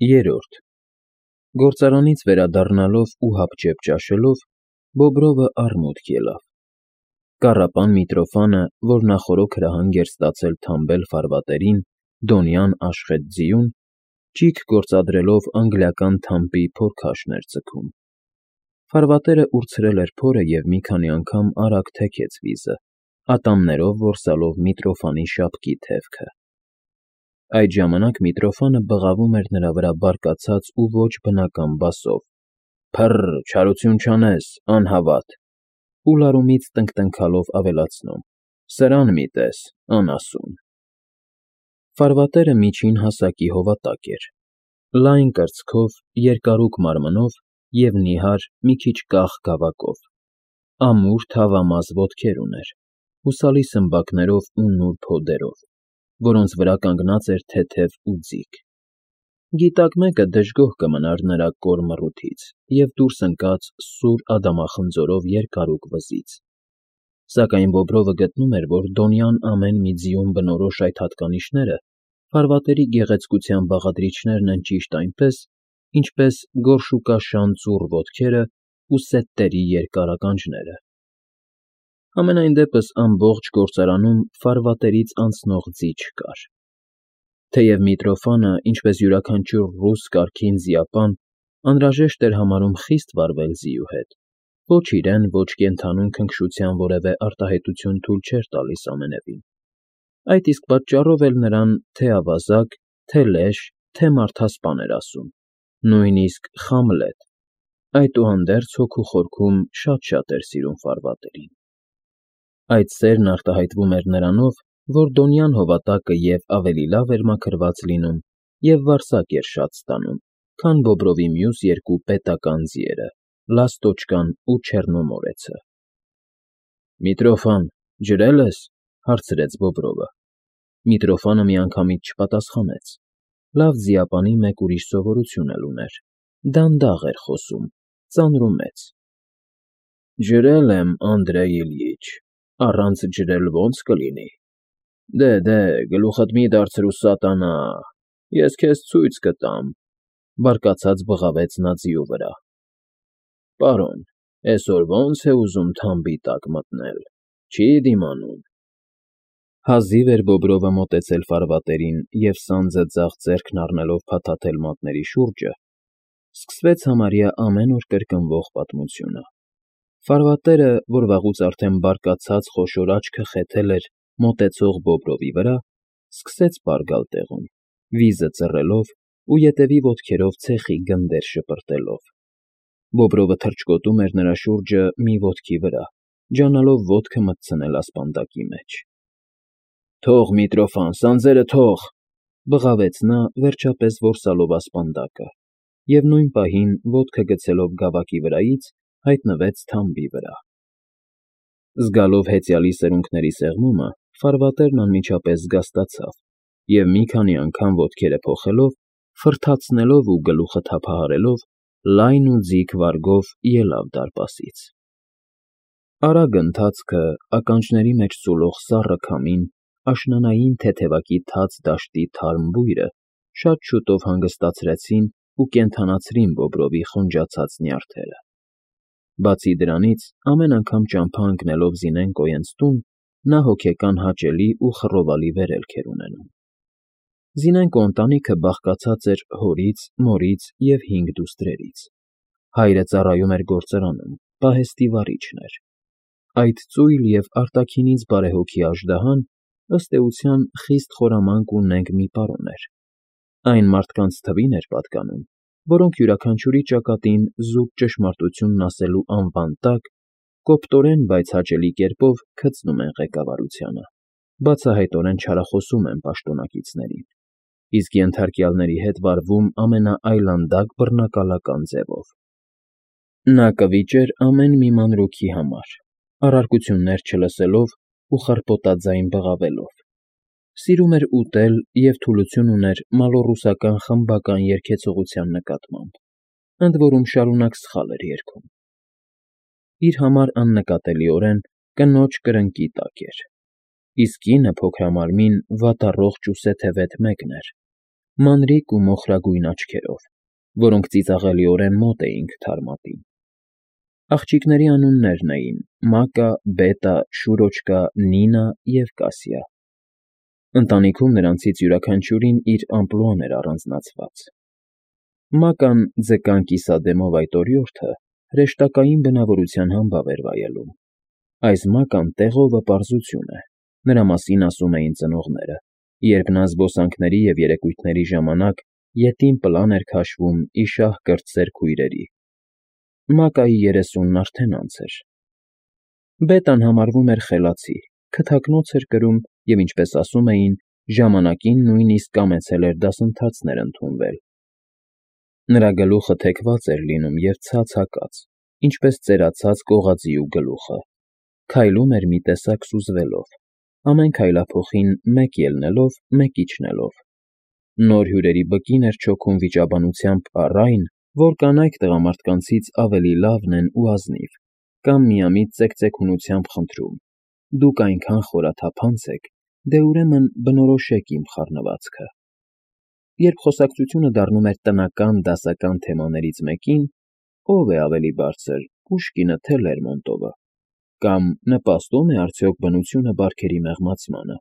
Երրորդ Գործարանից վերադառնալով ու հապճեպ ճաշելով, Բոբրովը առմուտք ելավ. կառապան Միտրոֆանը, որ նախօրոք հրահանգ էր ստացել թամբել ֆարվատերին դոնյան աշխետ ձիուն, ճիգ գործադրելով անգլիական թամբի փորքաշն էր ձգում. ֆարվատերը ուրցրել էր փորը և մի քանի անգամ արագ թեքեց վիզը, ատամներով որսալով Միտրոֆանի շապկի թևքը. այդ ժամանակ Միտրոֆանը բղավում էր նրա վրա բարկացած ու ոչ բնական բասով. «Փը՜ռ, չարություն չանես, անհավատ», ու լարումից տնկտնքալով ավելացնում. «Սրան մի տես, անասուն»։ Ֆարվատերը միջին հասակի հովատակ էր, լայն կրծքով, երկարուկ մարմնով և նիհար, մի քիչ կախ գավակով, ամուր թավամազ ոտքեր ուներ, հուսալի սմբակներով ու նուրբ հոդերով, որոնց վրա կանգնած էր թեթև ուձիգ. գիտակ մեկը դժգոհ կմնար նրա կոր մռութից և դուրս ընկած սուր ադամախնձորով երկարուկ վզից, սակայն Բոբրովը գտնում էր, որ դոնյան ամեն մի ձիուն բնորոշ այդ հատկանիշները ֆարվատերի գեղեցկության բաղադրիչներն են ճիշտ այնպես, ինչպես գորշուկաշան ծուռ ոտքերն ու սետտերի երկար ականջները։ Համենայն դեպս ամբողջ գործարանում ֆարվատերից անցնող ձի չկար։ Թեև Միտրոֆանը, ինչպես յուրաքանչյուր ռուս կարգին ձիապան, անհրաժեշտ էր համարում խիստ վարվել ձիու հետ, ոչ իրեն, ոչ կենդանուն քնքշության որևէ արտահայտություն թույլ չէր տալիս ամենևին, այդ իսկ պատճառով էլ նրան թե՛ ավազակ, թե՛ լեշ, թե՛ մարդասպան էր ասում, նույնիսկ Խամլետ, այդուհանդերձ հոգու խորքում շատ էր սիրում ֆարվատերին։ Այդ սերն արտահայտվում էր նրանով, որ դոնյան հովատակը և ավելի լավ էր մաքրված լինում և վարսակ էր շատ ստանում, քան Բոբրովի մյուս երկու պետական ձիերը՝ Լաստոչկան ու Չեռնոմորեցը։ «Միտրոֆան, ջրե՞լ ես,֊ հարցրեց Բոբրովը։ Միտրոֆանը միանգամից չպատասխանեց. լավ ձիապանի մեկ ուրիշ սովորություն էլ ուներ. դանդաղ էր խոսում, ծանրումեծ։ «Ջրել եմ, Անդրեյ Իլյիչ, առանց ջրել ո՞նց կլինի։ Դե, գլուխդ մի դարձրու, սատանա, ես քեզ ցույց կտամ,֊ բարկացած բղավեց նա ձիու վրա։ Պարոն, էսօր ո՞նց է ուզում թամբի տակ մտնել, չի դիմանում»։ Հազիվ էր Բոբրովը մոտեցել ֆարվատերին և սանձը ձախ ձեռքն առնելով փաթաթել մատների շուրջը, սկսվեց համարյա ամեն օր կրկնվող պատմությունը։ Ֆարվատերը, որ վաղուց արդեն բարկացած խոշոր աչքը խեթել էր մոտեցող Բոբրովի վրա, սկսեց պար գալ տեղում, վիզը ծռելով ու ետևի ոտքերով ցեխի գնդեր շպրտելով։ Բոբրովը թռչկոտում էր նրա շուրջը մի ոտքի վրա, ջանալով ոտքը մտցնել ասպանդակի մեջ։ «Թող, Միտրոֆան, սանձերը թող,֊ բղավեց նա, վերջապես որսալով ասպանդակը, և նույն պահին, ոտքը գցելով գավակի վրայից, հայտնվեց թամբի վրա։ Զգալով հեծյալի սերունքների սեղմումը, ֆարվատերն անմիջապես զգաստացավ և մի քանի անգամ ոտքերը փոխելով, ֆռթացնելով ու գլուխը թափահարելով, լայն ու ձիգ վարգով ելավ դարպասից։ Արագ ընթացքը, ականջների մեջ սուլող սառը քամին, աշնանային թեթևակի թաց դաշտի թարմ բույրը շատ շուտով հանգստացրին ու կենդանացրին Բոբրովի խնջացած նյարդերը։ Բացի դրանից, ամեն անգամ ճամփա ընկնելով Զինենկոյենց տուն, նա հոգեկան հաճելի ու խռովալի վերելք էր ունենում։ Զինենկո ընտանիքը բաղկացած էր հորից, մորից և 5 դուստրերից։ Հայրը ծառայում էր գործարանում, պահեստի վարիչն էր։ Այդ ծույլ և արտաքինից բարեհոգի աժդահան, ըստ էության, խիստ խորամանկ ու նենգ մի պարոն էր։ Այն մարդկանց թվին էր պատկանում, որոնք յուրաքանչյուրի ճակատին զուտ ճշմարտությունն ասելու անվան տակ կոպտորեն, բայց հաճելի կերպով քծնում են ղեկավարությանը, բացահայտորեն չարախոսում են պաշտոնակիցներին, իսկ ենթարկյալների հետ վարվում ամենաայլանդակ բռնակալական ձևով։ Նա կվիճեր ամեն մի մանրուքի համար, առարկություններ չլսելով ու խռպոտաձայն բղավելով։ Սիրում էր ուտել և թուլություն ուներ մալոռուսական խմբական երգեցողության նկատմամբ, ընդ որում շարունակ սխալ էր երգում։ Իր համար աննկատելիորեն կնոջ կրնկի տակ էր, իսկ կինը, փոքրամարմին, վատառողջ ու սեթևետ մեկն էր, մանրիկ ու մոխրագույն աչքերով, որոնք ծիծաղելիորեն մոտ էին քթարմատին։ Աղջիկների անուններն էին Մակա, Բետա, Շուրոչկա, Նինա և Կասիա։ Ընտանիքում նրանցից յուրաքանչյուրին իր ամպլուան էր առանձնացված։ Մական ձկան կիսադեմով այդ օրիորդը հրեշտակային բնավորության համբավ էր վայելում։ Այս Մական տեղովը պարզություն է, նրա մասին ասում էին ծնողները, երբ նա զբոսանքների և երեկույթների ժամանակ ետին պլան էր քաշվում ի շահ կրտսեր քույրերի։ Մակայի 30-ն արդեն անց էր։ Բետան համարվում էր խելացի, քթակնոց էր կրում և, ինչպես ասում էին, ժամանակին նույնիսկ կամեցել էր դասընթացներ ընդունվել։ Նրա գլուխը թեքված էր լինում և ցած հակած, ինչպես ծերացած կողածիու գլուխը, քայլում էր մի տեսակ սուզվելով, ամեն քայլափոխին մեկ ելնելով, մեկ իջնելով։ Նոր հյուրերի բկին էր չոքում վիճաբանությամբ առ այն, որ կանայք տղամարդկանցից ավելի լավն են ու ազնիվ, կամ միամիտ ծեկծեկունությամբ խնդրում. «Դուք այնքան խորաթափանց եք, դե ուրեմն բնորոշեք իմ խառնվածքը»։ Երբ խոսակցությունը դառնում էր տնական, դասական թեմաներից մեկին, ո՞վ է ավելի բարձր՝ Պուշկինը թե Լերմոնտովը, կամ նպաստո՞ւմ է արդյոք բնությունը բարքերի մեղմացմանը,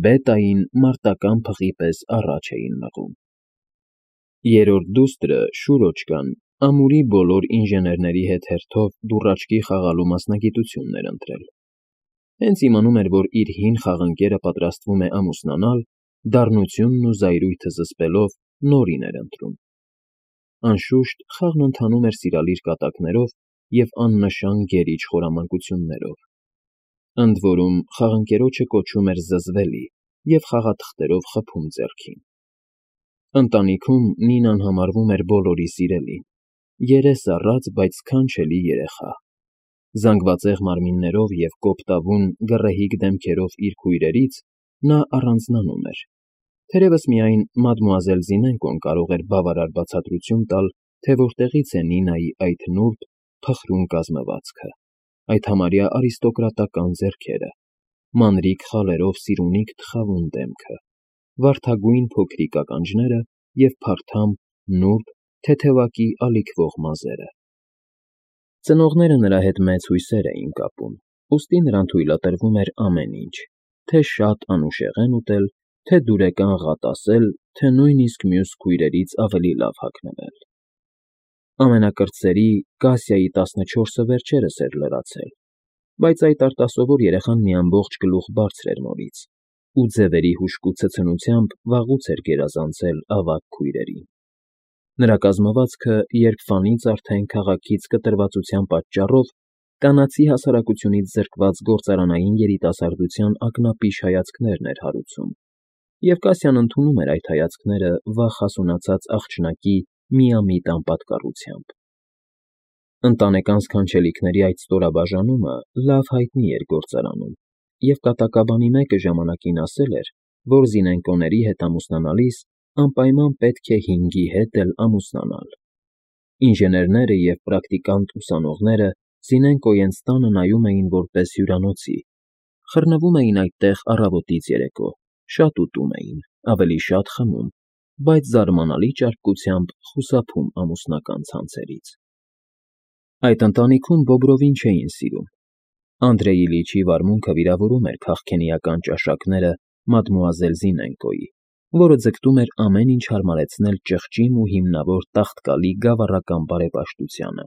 Բետային մարտական փղի պես առաջ էին մղում։ Երրորդ դուստրը՝ Շուրոչկան, ամուրի բոլոր ինժեներների հետ հերթով դուռաչքի խաղալու մասնագիտությունն էր ընտրել։ Հենց իմանում էր, որ իր հին խաղընկերը պատրաստվում է ամուսնանալ, դառնությունն ու զայրույթը զսպելով նորին էր ընտրում։ Անշուշտ, խաղն ընթանում էր սիրալիր կատակներով և աննշան գերիչ խորամանկություններով։ Ընդ որում, խաղընկերոջը կոչում էր զզվելի և խաղաթղթերով խփում ձեռքին։ Ընտանիքում Նինան համարվում էր բոլորի սիրելին, երես առած, բայց սքանչելի երեխա։ Զանգվածեղ մարմիններով և կոպտավուն, գռեհիկ դեմքերով իր քույրերից նա առանձնանում էր։ Թերևս միայն մադմուազել Զինենկոն կարող էր բավարար բացատրություն տալ, թե որտեղից է Նինայի այդ նուրբ, փխրուն կազմվածքը, այդ համարյա արիստոկրատական ձեռքերը, մանրիկ խալերով սիրունիկ թխավուն դեմքը, վարդագույն փոքրիկ ականջները և փարթամ, նուրբ, թեթևակի ալիքվող մազերը։ Ծնողները նրա հետ մեծ հույսեր էին կապում, ուստի նրան թույլատրվում էր ամեն ինչ, թե շատ անուշեղեն ուտել, թե դուրեկան ղատ ասել, թե նույնիսկ մյուս քույրերից ավելի լավ հագնվել։ Ամենակրտսերի՝ Կասիայի 14-ը վերջերս էր լրացել, բայց այդ արտասովոր երեխան մի ամբողջ գլուխ բարձր էր մորից, ու ձևերի հուժկու ցցնությամբ վաղուց էր գերազանցել ավագ քույրերին։ Նրա կազմվածքը երբվանից արդեն քաղաքից կտրվածության պատճառով կանացի հասարակությունից զրկված գործարանային երիտասարդության ակնապիշ հայացքներն էր հարուցում, և Կասյան ընդունում էր այդ հայացքները վաղ հասունացած աղջնակի միամիտ անպատկառությամբ։ Ընտանեկան սքանչելիքների այդ ստորաբաժանումը լավ հայտնի էր գործարանում, և կատակաբանի մեկը ժամանակին ասել էր, որ Զինենկոների հետ ամուսնանալիս անպայման պետք է հինգի հետ էլ ամուսնանալ։ Ինժեներները և պրակտիկանտ ուսանողները Զինենկոյենց տանը նայում էին որպես հյուրանոցի, խռնվում էին այդտեղ առավոտից երեկո, շատ ուտում էին, ավելի շատ խմում, բայց զարմանալի ճարպկությամբ խուսափում ամուսնական ցանցերից։ Այդ ընտանիքում Բոբրովին չէին սիրում։ Անդրեյ Իլիչի վարմունքը վիրավորում էր քաղքենիական ճաշակները մադմուազել Զինենկոյի, որը ձգտում էր ամեն ինչ հարմարեցնել ճղճին ու հիմնավոր տաղտկալի գավառական բարեպաշտությանը։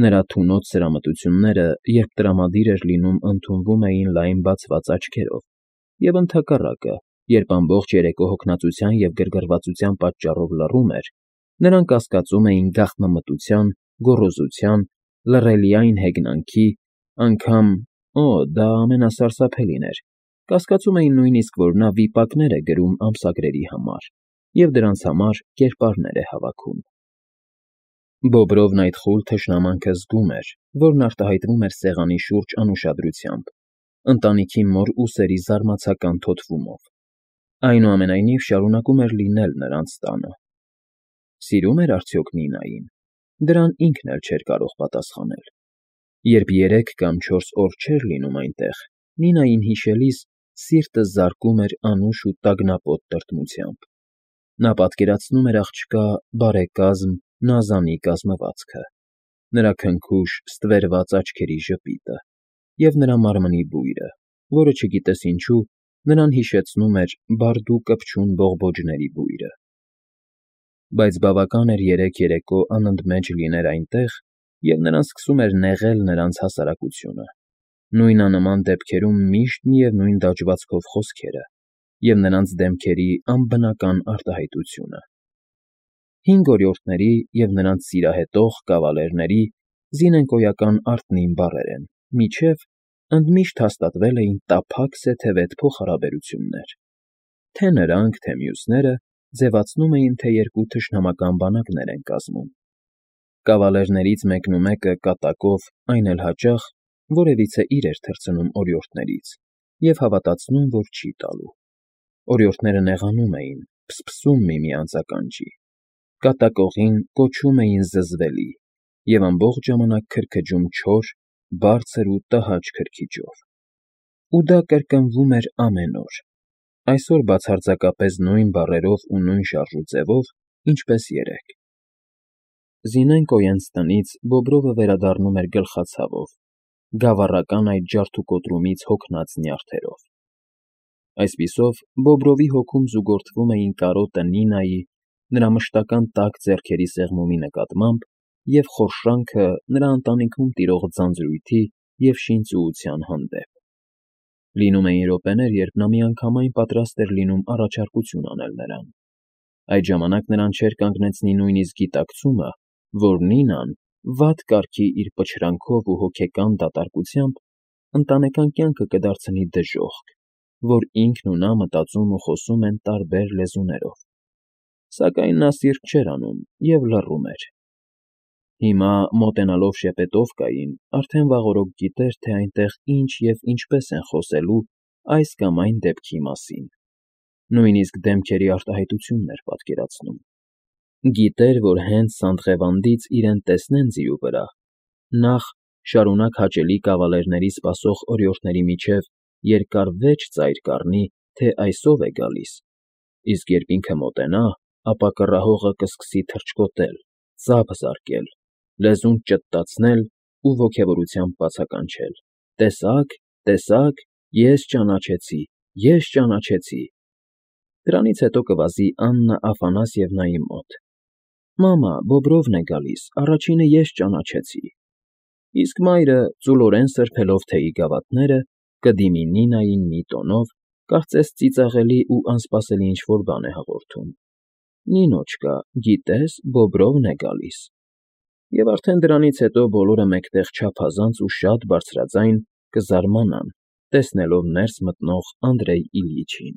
Նրա թունոց սրամտությունները, երբ տրամադիր էր լինում, ընդունվում էին լայն բացված աչքերով, և ընդհակառակը, երբ ամբողջ երեկո հոգնածության և գրգռվածության պատճառով լռում էր, նրան կասկածում էին գաղտնամտության, գոռոզության, լռելիայն հեգնանքի, անգամ դա ամենասարսափելին էր, կասկածում էին նույնիսկ, որ նա վիպակներ է գրում ամսագրերի համար և դրանց համար կերպարներ է հավաքում։ Բոբրովն այդ խուլ թշնամանքը զգում էր, որն արտահայտվում էր սեղանի շուրջ անուշադրությամբ, ընտանիքի մոր ուսերի զարմացական թոթվումով։ Այնուամենայնիվ շարունակում էր լինել նրանց տանը։ Սիրո՞ւմ էր արդյոք Նինային։ Դրան ինքն էլ չէր կարող պատասխանել։ Երբ 3 կամ 4 օր չէր լինում այնտեղ, Նինային հիշելիս սիրտը զարկում էր անուշ ու տագնապոտ տրտմությամբ։ Նա պատկերացնում էր աղջկա բարեկազմ, նազանի կազմվածքը, նրա քնքուշ, ստվերված աչքերի ժպիտը և նրա մարմնի բույրը, որը, չգիտես ինչու, նրան հիշեցնում էր բարդ ու կպչուն բողբոջների բույրը։ Բայց բավական էր երեք երեկո անընդմեջ լիներ այնտեղ, և նրան սկսում էր նեղել նրանց հասարակությունը, նույնանման դեպքերում միշտ միևնույն դաջվածքով խոսքերը և նրանց դեմքերի անբնական արտահայտությունը։ 5 օրիորդների և նրանց սիրահետող կավալերների զինենկոյական արտնին բառեր են, մինչև ընդմիշտ հաստատվել էին տափակ սեթևետ փոխհարաբերություններ, թե նրանք, թե մյուսները ձևացնում էին, թե երկու թշնամական բանակներ են կազմում։ Կավալերներից մեկնումեկը կատակով, այն էլ հաճախ, որևիցե իր էր թռցնում օրիորդներից և հավատացնում, որ չի տալու։ Օրիորդները նեղանում էին, փսփսում միմյանց ականջի, կատակողին կոչում էին զզվելի և ամբողջ ժամանակ քրքջում չոր, բարձր ու տհաճ քրքիջով։ Ու դա կրկնվում էր ամեն օր, այսօր բացարձակապես նույն բառերով ու նույն շարժուձևով, ինչպես երեկ։ Զինենկոյենց տնից Բոբրովը վերադառնում էր գլխացավով, գավառական այդ ջարդուկոտրումից հոգնած նյարդերով։ Այսպիսով, Բոբրովի հոգում զուգորդվում էին կարոտը Նինայի, նրա մշտական տաք ձեռքերի սեղմումի նկատմամբ և խորշանքը նրա ընտանիքում տիրող ձանձրույթի և շինծուության հանդեպ։ Լինում էին րոպեներ, երբ նա միանգամայն պատրաստ էր լինում առաջարկություն անել նրան։ Այդ ժամանակ նրան չէր կանգնեցնի նույնիսկ գիտակցումը, որ Նինան վատ կարգի իր պչրանքով ու հոգեկան դատարկությամբ ընտանեկան կյանքը կդարձնի դժոխք, որ ինքն ու նա մտածում ու խոսում են տարբեր լեզուներով։ Սակայն նա սիրտ չէր անում և լռում էր։ Հիմա, մոտենալով շեպետովկային, արդեն վաղօրոք գիտեր, թե այնտեղ ինչ և ինչպես են խոսելու այս կամ այն դեպքի մասին, նույնիսկ դեմքերի արտահայտությունն էր պատկերացնում։ Գիտեր, որ հենց Սանտղևանդից իրեն տեսնեն ձիու վրա, նախ շարունակ հաճելի կավալերների սպասող օրիորդների միջև երկար վեճ ծայր կառնի, թե այս ով է գալիս, իսկ երբ ինքը մոտենա, ապա կռահողը կսկսի թռչկոտել, ծափ զարկել, լեզուն ճտտացնել ու ոգևորությամբ բացականչել. «Տեսա՞ք, տեսա՞ք, ես ճանաչեցի, ես ճանաչեցի»։ Դրանից հետո կվազի Աննա Աֆանասьևնայի մոտ. «Մամա, Բոբրովն է գալիս, առաջինը ես ճանաչեցի»։ Իսկ մայրը, ծուլորեն սրբելով թեյի գավաթները, կդիմի Նինային մի տոնով, կարծես ծիծաղելի ու անսպասելի ինչ֊որ բան է հաղորդում. «Նինոչկա, գիտես, Բոբրովն է գալիս»։ Եվ արդեն դրանից հետո բոլորը մեկտեղ չափազանց ու շատ բարձրաձայն կզարմանան, տեսնելով ներս մտնող Անդրեյ Իլյիչին։